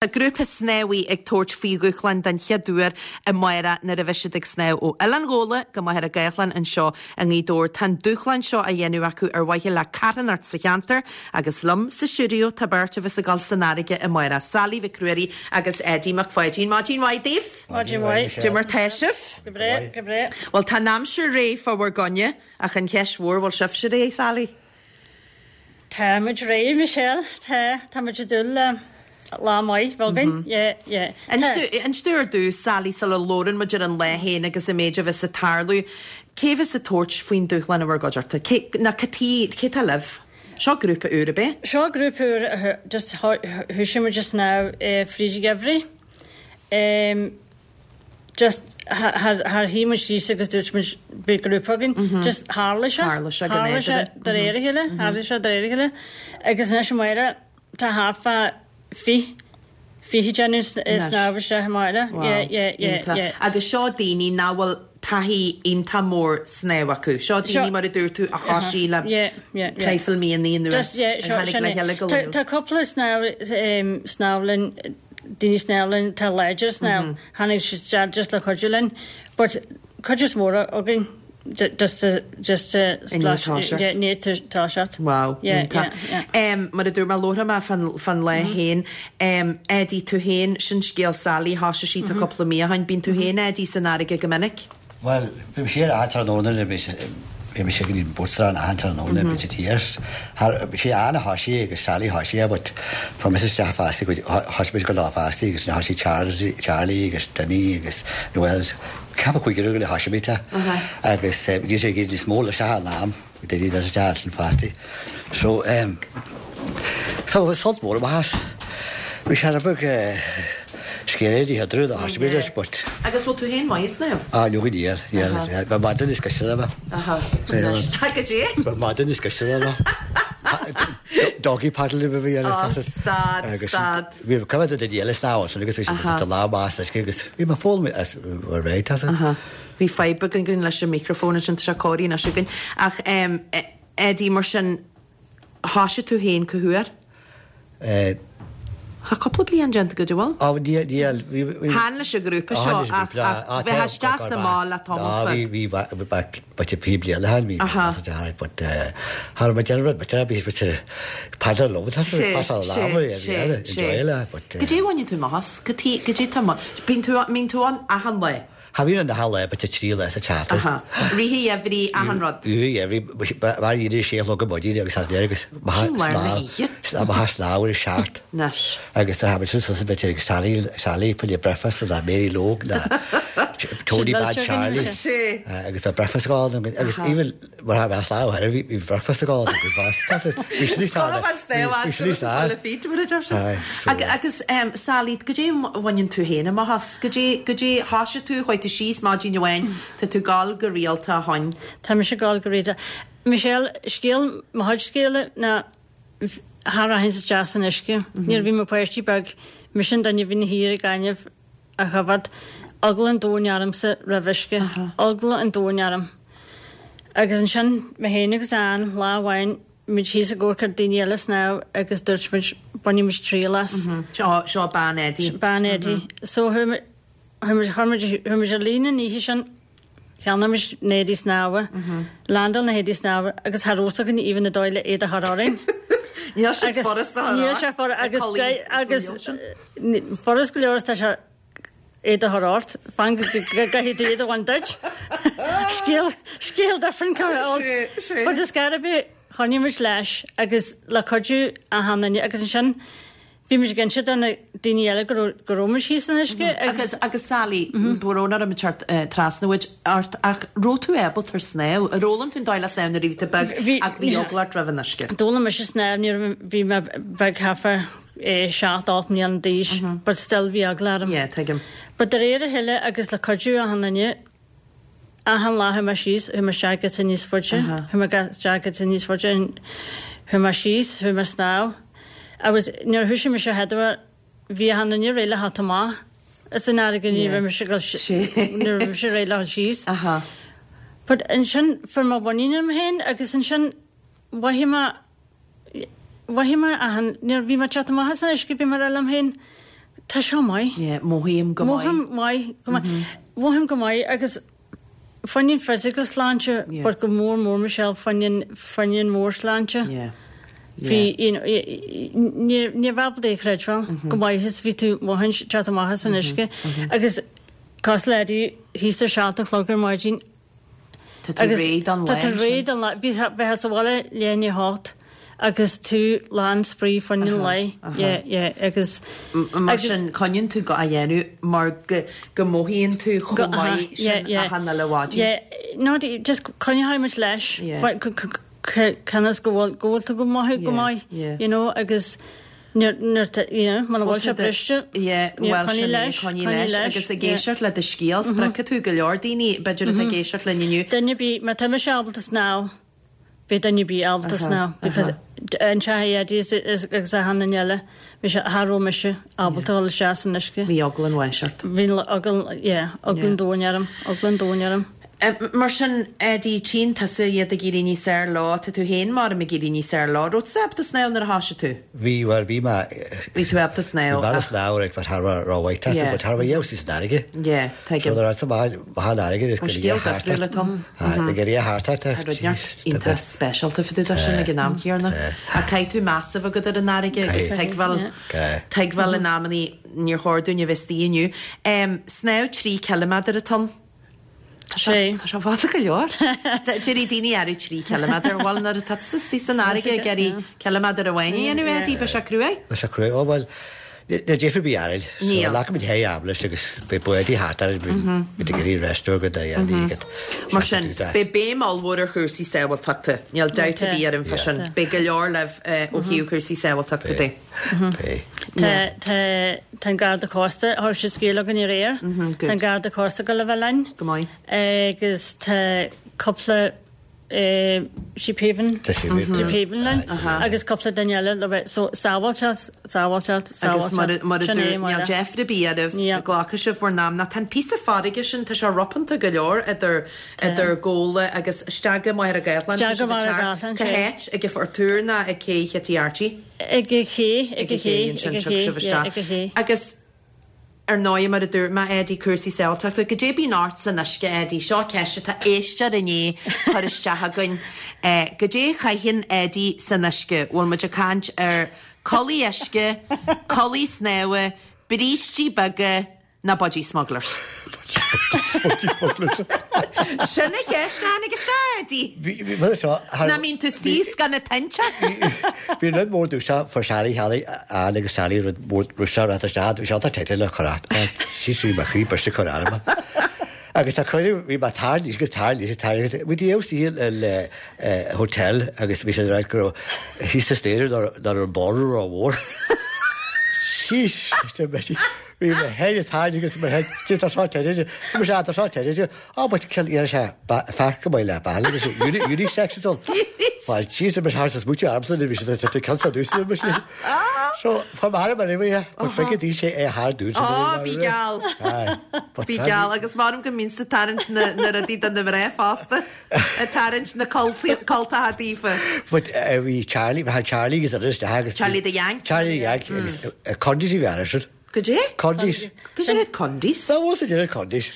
Tá grúpa snámhaí ag tabhairt faoi dhúshlán den chéad uair amárach nuair a bheidh siad ag snámh ó Oileán Ghabhla go Machaire Gathlán anseo i nGaoth Dobhair. Tá an dúshlán seo á dhéanamh acu ar mhaithe le carthanacht sa cheantar agus liom sa stiúideo tá beirt a bheas ag dul san fharraige amárach, Sally Mhic Ruairí agus Eddie Mac Pháidín. Maidin mhaith daoibh! Maidin mhaith. Cad é mar tá sibh? Go breá, go breá. Bhuel tá an aimsir réidh fá bhur gcoinne ach an cheist mhór, bhfuil sibhse réidh, Sally? Tá muid réidh, Michelle, tá. Tá muid ag dúil le lá maith bheith againn. Yeah, yeah. Inis domh ar dtús, Sally, sula labhrann muid ar an lá féin agus an méid a bheas ag tarlú, cé bheas ag tabhairt faoin dúshlán i bhur gcuideachta? Cé, nó cad chuige, cé tá libh? Seo grúpa úr, ab é? Seo grúpa úr, just thoisigh muid ag snámh fríd an gheimhreadh. Just char shuigh muid síos agus dúirt muid beidh grúpa againn. Just tharla sé. Tharla sé go Tharla sé nádúrtha. de réir a chéile, tharla sé de réir a chéile. Agus anois amárach tá thart fá 20, 20 déanamh snámh isteach amárach. Wow. Yeah, yeah, yeah, Iontach. yeah. Agus seo daoine nach bhfuil taithí iontach mór snámh acu. Seo daoine mar a dúirt tú a thoisigh le Yeah, yeah, yeah. traidhfil míonna anuas Just, yeah, a seo, tháinig sin le é. chéile go Tá, luath. tá cúpla snámh, snámh linn, daoine snámh linn atá láidir ag snámh, tháinig siad isteach just le cuidiú linn, but cuid is mór againn just to, just to splash, yeah, i ndiaidh toiseacht. Wow, Yeah, iontach. yeah, yeah. Mar a dúirt mé, labharfaidh mé fán, fán lá féin. Eddie, tú féin, sin scéal Sally, thoisigh sí tá cúpla mí ó shin. Bíonn tú féin, Eddie, san fharraige go minic? Bhuel, bhí mise ar achan tráthnóna nuair a bhí bhí mise go dtí an Boatstrand achan tráthnóna bhí siad thiar. Thar, bhí sé Ann a thoisigh agus Sally a thoisigh é but fuair mise isteach feasta go thoisigh muid go lá feasta agus thoisigh Charlie, Charlie agus Dinny agus Noel, ceapadh cúigear againn a thoisigh muid agus bhí sé ag iarraidh níos mó leis achan am. Daoine leis an teach sin fosta. So ehm tá sult mór amach as. Bhí sé rud beag scary di thadrú do thosaigh muid leis but. Agus bhfuil tú féin maith ag snámh? Ah no go níl, níl. Bheadh madra níos gaiste ná mé. Aha. Anois tá go dtí. Bheadh madra níos gaiste ná mé. Doggy paddle a bhí ar Oh stad, stad. Bhí cuid de daoine eile ag snámh ansin agus bhí siad ag lá amach as uisce agus bhí mé foghlaim as ar bheidh tá Aha. Bhí fadhb againn leis an micreafón ansin, tá sé cóirithe anois againn. Ach ehm, Eddie, mar sin, thoisigh tú féin cá huair? Eh. Tá cúpla bliain déanta agat, an bhfuil? Á, níl, níl, bhí, bhí. Chan leis an ghrúpa seo ach, ach bheith isteach sa mbá le tamall beag. Bhí, bhí, bhí, bhí bhí bliain a bhí, bhí, but eh, cha raibh mé ag déanamh rud, but bhí, bhí, paddle liom, tá sé, pasáil lámh, Sé, bhí, sé, enjoy le, but eh. Goidé a bhaineann tú amach as? Cad goidé tá, bíonn tú, mbíonn tú ann achan lá? Cha bhíonn ann achan lá but 3 lá sa tseachtain. Aha. Rith an gheimhridh, achan rud. Rith an gheimhridh, mar dhíreach sé a chlog ar maidin agus as mé agus Sin lár na hoíche. Amach ag snámh ar a seacht. Anois. Agus tá muid suas a bit ag Sally, Sally for the breakfast ná Mary Logue ná Tony Bad Charlie. Sé. Agus bheadh breakfast ag gabháil agus even mar a bheadh snámh thoir bhí breakfast ag gabháil go fast. Bhí sin níos Scoil an snámh as go raibh le feet mar a deir siad. Agus Sally, goidé a bhaineann tú féin amach as? Goidé, goidé, thoisigh tú, chuaigh tú síos maidin amháin, tá tú ag gabháil go rialta ó shoin. Tá mise ag gabháil go rialta. Michelle, scéal, mo chuid scéala ná cha rachainnse isteach san uisce. Nuair a bhí mo pháistí beag, mise an duine a bhí ina shuí ar an ghainimh a choimhéad. Eagla an domhain ormsa roimh uisce. Eagla an domhain orm. Agus ansin, mé féin agus Ann, lá amháin, muid thíos ag amharc ar daoine eile ag snámh agus dúirt muid, bainfidh muid triail as. Seo, seo bean Eddie. Bean Eddie. So chuaigh muid, chuaigh muid, chuir muid, chuaigh muid ar líne an oíche sin, cheannaigh muid na héadaí snámha, landáil na héadaí snámha agus cha raibh fhios againn even an dóigh le iad a chur orainn. Níl sé furast a chur Níl sé furast agus, agus furast go leor is tá sé iad a chur ort, fan go gcaithfidh tú iad a bhaint duit. Scéal, scéal different Sé, sé. But is gar bith, choinnigh muid leis agus le cuidiú achan duine agus ansin bhí muid ag inse do na daoine eile go raibh, go raibh muid thíos san uisce agus. Agus, agus Sally, brón orm ag teacht trasna uait, ort ach raibh tú ábalta ar snámh? Ar fhoghlaim tú an dóigh le snámh nuair a bhí tú beag ach bhí eagla ort roimh an uisce? D'fhoghlaim mise snámh nuair a bhí mé beag thart fá 7, 8 mbliana d'aois but still bhí eagla orm. Yeah, tuigim. But de réir a chéile agus le cuidiú achan duine, achan lá chuaigh mé síos, chuaigh mé isteach giota níos faide, chuaigh mé isteach giota níos faide and chuaigh mé síos, chuaigh mé snámh. Agus nuair a thoisigh mise a chéad uair, bhí achan duine réidh le theacht amach as an fharraige ní raibh mise ag dul ní raibh mise réidh le dhul síos. But ansin fuair mé muinín orm féin agus ansin mhothaigh mé Mhothaigh mé achan, nuair a bhí mé ag teacht amach as an uisce, bhí mé ag rá liom féin. Tá seo maith. Yeah, mothaím go maith. Mothaím maith, go maith. Mothaím go maith agus fá choinne an physical sláinte Yeah. but go mór mór Michelle fá choinne fá choinne an mheabhairshláinte. Yeah. Bhí, you know, ní ní bheadh ábalta é a chreidbheáil go maith is bhí tú mothaint teacht amach as an uisce agus cosúil le Eddie thíos ar 7 a chlog ar maidin Tá tú réidh don lá Tá tú réidh don lá. Bhí bheifeá sa bhaile leath i ndiaidh a hocht agus tú lán spraoi fá choinne an lae. Yeah, yeah, agus. Mar sin, coinníonn tú go á dhéanamh mar go go mothaíonn tú chomh maith sin achan uile mhaidin. Yeah, no, just coinneoidh muid leis. Conas go bhfuil go bhfuil tú go maith go maith, you know, agus Nuair atá, you know, muna bhfuil sé briste, Yeah, bhuel sin é, coinnigh leis. Agus ag éisteacht le do scéal, spreagfaidh tú go leor daoine, b'fhéidir atá ag éisteacht linn inniu. Duine ar bith, má tá mise ábalta snámh, beidh duine ar bith ábalta snámh because an teach Eddie is agus achan duine eile, mise, cha raibh mise ábalta dul isteach san uisce. Bhí eagla an bháis ort. Bhí eagla, yeah, eagla an domhain orm, eagla an domhain orm. Mar sin, Eddie, tchíonn tusa iad ag éirí níos fhearr leo, tá tú féin maram ag éirí níos fearr leo. Raibh tusa ábalta snámh nuair a thoisigh tú? Bhí, bhuel, bhí mé. Bhí tú ábalta snámh. Bhí mé ábalta snámh, right, but cha raibh rómhaith astu, but cha raibh a fhios san fharraige. Yeah, tuigim. So nuair a maith, maith an fharraige, is go dtí a Scéal thart. difriúil atá ann. Aye, go dtí a thart Tá rud neart iontach speisialta fá dtaobh de sin ag an am céanna. Ach caithfidh tú meas a bheith agat ar an fharraige agus tuigbheáil, tuigbheáil in amannaí níor chóir dúinn a bheith istigh inniu. Snámh 3 ciliméadar atá ann. Tá sé tá sé fada go leor. Déarfaidh daoine arú 3 ciliméadar. Bhuel nuair atá tusa istigh san fharraige ag iarraidh ciliméadar amháin a dhéanamh Eddie, beidh sé cruaidh. Beidh sé cruaidh. Ó bhuel, níl deifir ar bith orainn. So Níl. glacfaimid hé am leis agus beidh bádaí thart orainn, beidh ag iarraidh rest go dtí a dhéanamh. Mar sin, beidh béim ollmhór ar chúrsaí sábháilteachta. Níl dabht ar bith orm fá sin. Beidh go leor libh ó thaobh cúrsaí sábháilteachta de. Tá, tá, tá an Garda Cósta, thug siad scéal againn aréir. Tá an Garda Cósta ag dul a bheith linn. Go maith. Agus tá cúpla Sheephaven, Sheephaven linn agus cúpla duine eile le bheith, so sábháilteacht, sábháilteacht, Agus mar sábháilteacht. mar a Sin é, dúirt, níl Máire. deifir ar bith oraibh, Níl. glacfaidh sibh bhur n-am. Nó tá an píosa farraige sin, tá sé ropánta go leor idir, idir Gabhla agus isteach go Machaire Gathlán. Isteach go Machaire Gathlán, Cá sea. háit? Ag an Phort Úr nó ag Cé Chití Archie? Ag an ché, ag an ché, ansin tiocfaidh sibh isteach. ag an ché. Agus ar ndóigh, mar a dúirt mé, Eddie, cúrsaí sábháilteachta, goidé bíonn ort san uisce, Eddie? Seo ceist atá éisteoir i ndiaidh cur isteach againn. Goidé a chaitheann Eddie san uisce? Bhfuil muid ag caint ar culaith uisce, culaith snámha, brístí beaga, Ná Budgie Smugglers. Budgie Smugglers. Sin an cheist a tháinig isteach, Eddie. Bhí, bhí, bhí, seo, thar- Nach mbíonn tú istigh is gan na tinte? Bhí rud mór dúiseach fuair Sally Shally Ann agus Sally rud mór dúiseach rud isteach bhí sé tá le cur at sí sí mo chroí briste cur arm. Agus tá cuireadh bhí mé tar níos agus tar níos tar agus bhí díobh sí le hotel agus bhí sé ráit go raibh thíos sa staighre ná raibh an ballroom rómhór. Sheesh, Bhí mo head ag tarraingt agus mo head tá seo te tá mo tá seo te á but kill iar sé fear go maith le bail agus unisex is all. Well jeez mar thar smúte armsa bhí sé tá cansa dús mar sin. So fa mar mar bhí but big dí sé é thar dús. Á bí geall. Bí geall agus maram go mbíonn tú ag tarraingt na na rudaí do na mná fosta ag tarraingt na cultacha daofa. But bhí Charlie bhí Charlie agus agus Charlie the Yank. Charlie the Yank agus Condies i bhí sin. Goidé? Condies. Goidé rud Condies? Tá bhfuil sa deireadh Condies.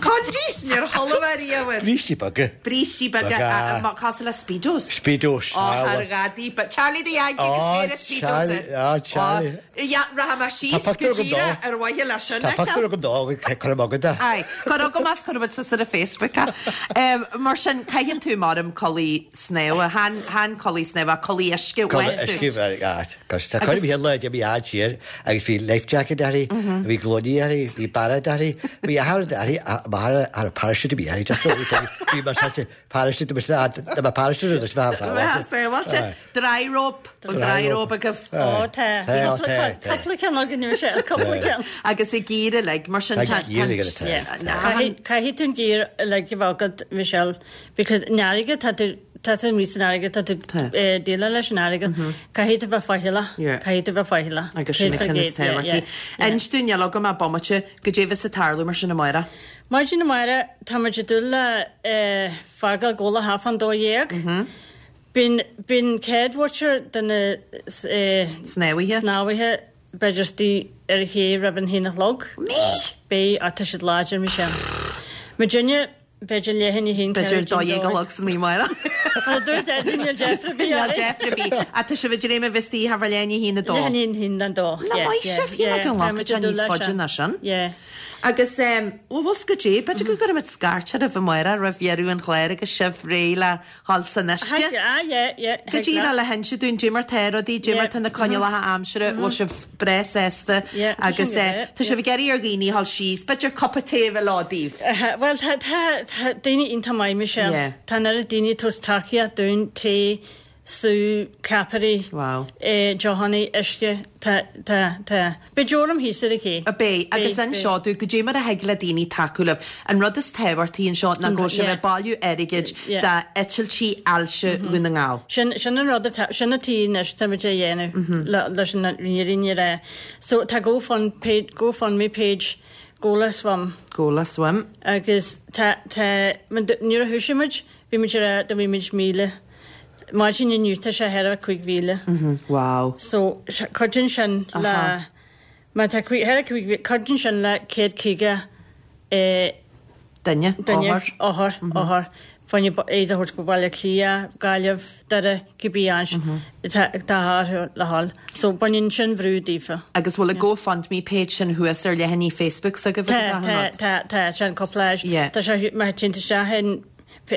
Condies! Níor chuala mé riamh air. Brístí beaga. Brístí beaga, cosúil le Speedos. Speedos. Ó, thar ghadaí. But Charlie the Yankee agus péire Speedos air. Á, Charlie. Yeah, rachaidh mé síos go díreach ar mhaithe leis sin. Tá pictiúr agam dó, cuirfidh mé agat é. Aye, cuir agam as, cuirfidh muid suas ar an Facebook é. Mar sin, caitheann tú maram culaith snámha, chan culaith snámha, culaith uisce, Culaith uisce, aye. Cos tá cuid mhaith lá d'imigh fhad siar agus bhí life jacket uirthi, bhí gloiní uirthi, bhí bairéad uirthi, bhí athair uirthi, m'athair a raibh parachute a bhí uirthi, just bhí mar said parachute mar sin, dá mbeadh parachute uirthi bheadh Bheadh sábháilte. Dry robe, an dry robe agaibh. Ó tá, cúpla ceann againn anois, cúpla ceann. Agus an gear uilig, mar sin tá. Gear uilig atá. Caithfidh tú an gear uilig a bheith agat, Michelle, because an fharraige tá tú Tá tú amuigh san fharraige, tá tú ag déileáil leis an fharraige, caithfidh tú bheith faichilleach, caithfidh tú bheith faichilleach. Agus sin an ceann is tábhachtaí. Inis dúinn, níl agam ach bomaite, goidé a bheas ag tarlú mar sin amárach. Maidin amárach, tá muid ag dul le fágáil Gabhla half an 12. Bíonn, bíonn céad bhuaiteoir de na Snámhaithe. snámhaithe b'fhéidir istigh ar an ché roimh an haon a chlog. Mí! Beidh, ach tá siad láidir, Michelle. Muidinne, b'fhéidir leath i ndiaidh a haon, B'fhéidir ceathrú 12 a chlog san oíche amárach. Well, dúirt Eddie níl deifir ar bith Níl orainn. deifir ar bith. Ach tá sibh ag dréim a bheith istigh thart fá leath i ndiaidh a haon, a dó. Leath i ndiaidh a haon, a dó. Nach Yeah, maith yeah, sibh, shíl mé yeah, go tá nglacfadh muid sé ag dul níos leis faide seo. ná sin. Yeah. Agus, bhuel, bhfuil 's goidé, b'fhéidir go gcuirfimid scairt oraibh amárach roimh dheireadh an chláir agus sibh réidh le dhul san uisce. Thig, ah yeah, yeah, Go thig díreach leat. le hinse dúinn, dé mar tá rudaí, dé mar Yeah, tá na coinníollacha aimsire, bhfuil sibh breá sásta Yeah, tá agus sin go breá, tá sibh ag iarraidh ar dhaoine dhul síos, b'fhéidir cupa tae a bheith leo daoibh. Bhuel, tá, tá, tá daoine iontach maith, Michelle. Yeah. Tá an oiread daoine ag tabhairt tacaíocht dúinn, tae, sú, ceapairí, Wow. deochannaí, uisce, tá, tá, tá. Beidh deoram thíos ar an ché. Beidh, agus Beidh, anseo beidh. dúinn, goidé mar a thig le daoine tacú libh. An rud is tábhachtaí anseo ná go bhfuil sibh Yeah. ag bailiú airgid Yeah. d'eitiltí ailse Dhún na nGall. Sin, sin an rud atá, sin atá anois táimid a dhéanamh le, leis an fhírinne a rá. So tá GoFund page, GoFundMe page, Gola Swim. Gola Swim. Agus tá, tá, nuair a thoisigh muid, Bhí muid ag rá dá mbeadh muid 1,000. Maidin inniu tá sé thar 5,000. Wow. So cuidíonn sin le, má tá thar 5,000, cuidíonn sin le 150 Duine, duine, othar. othar, othar, fá choinne iad a thabhairt go Baile Átha Cliath, Gaillimh, Doire, cibé áit atá orthu le dhul. So baineann sin brú daofa. Agus bhfuil an GoFundMe page sin thuas ar leathanaigh Facebook s'agaibh agus Tá, achan tá, rud? tá, tá, sin cúpla áit. Yeah. Tá sé, má théann tú isteach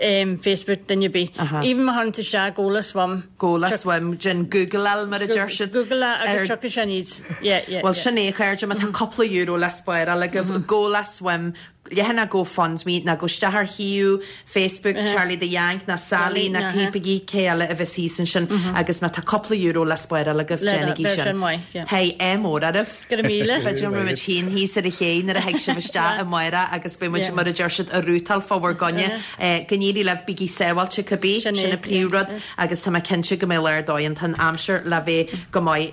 in Facebook duine ar bith. Even má chuireann tú isteach Gola Swim. Gola Swim, déan Googleáil mar a deir siad. Googleáil agus tiocfaidh sé aníos. Yeah, yeah, Bhuel yeah. sin é a chairde, má tá cúpla euro le spáráil agaibh, Gola Swim, leathanach GoFundMe, nó gabh isteach ar shuíomh Facebook Charlie the Yank ná Sally ná cípigí cé eile a bheas thíos ansin agus má tá cúpla euro le spáráil agaibh, déanaigí sin. Hey, ádh mór oraibh. Go raibh míle. B'fhéidir go mbeidh muid féin thíos ar an ché nuair a thig sibh isteach amárach agus beidh muid, mar a deir siad, ag rútáil fá bhur gcoinne. Go n-éirí libh, bígí sábháilte cibé, sin an príomhrud agus tá mé cinnte go mbeidh lá ar dóigh ann. Tá an aimsir le bheith go maith.